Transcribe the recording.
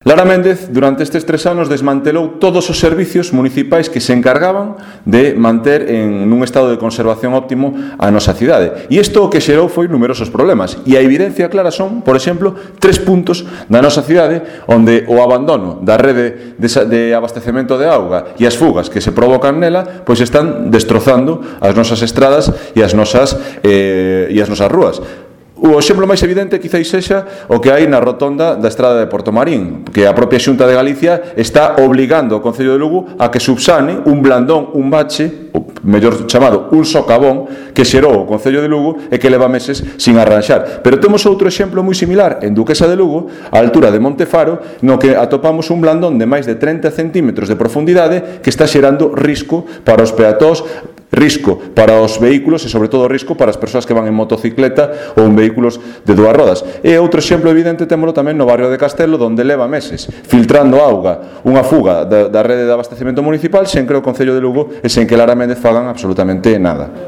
Lara Méndez, durante estes 3 anos, desmantelou todos os servicios municipais que se encargaban de manter nun estado de conservación óptimo a nosa cidade. E isto o que xerou foi numerosos problemas. E a evidencia clara son, por exemplo, 3 puntos da nosa cidade onde o abandono da rede de abastecemento de auga e as fugas que se provocan nela pois están destrozando as nosas estradas e as nosas rúas. O exemplo máis evidente quizáis sexa o que hai na rotonda da estrada de Portomarín, que a propia Xunta de Galicia está obligando ao Concello de Lugo a que subsane un blandón, un bache, ou mellor chamado un socavón, que xerou o Concello de Lugo e que leva meses sin arranxar. Pero temos outro exemplo moi similar en Duquesa de Lugo, a altura de Montefaro, no que atopamos un blandón de máis de 30 centímetros de profundidade que está xerando risco para os peatóns, risco para os vehículos e, sobre todo, risco para as persoas que van en motocicleta ou en vehículos de 2 rodas. E outro exemplo evidente témolo tamén no barrio de Castelo, onde leva meses filtrando auga unha fuga da rede de abastecemento municipal sen que o Concello de Lugo e sen que Lara Méndez fagan absolutamente nada.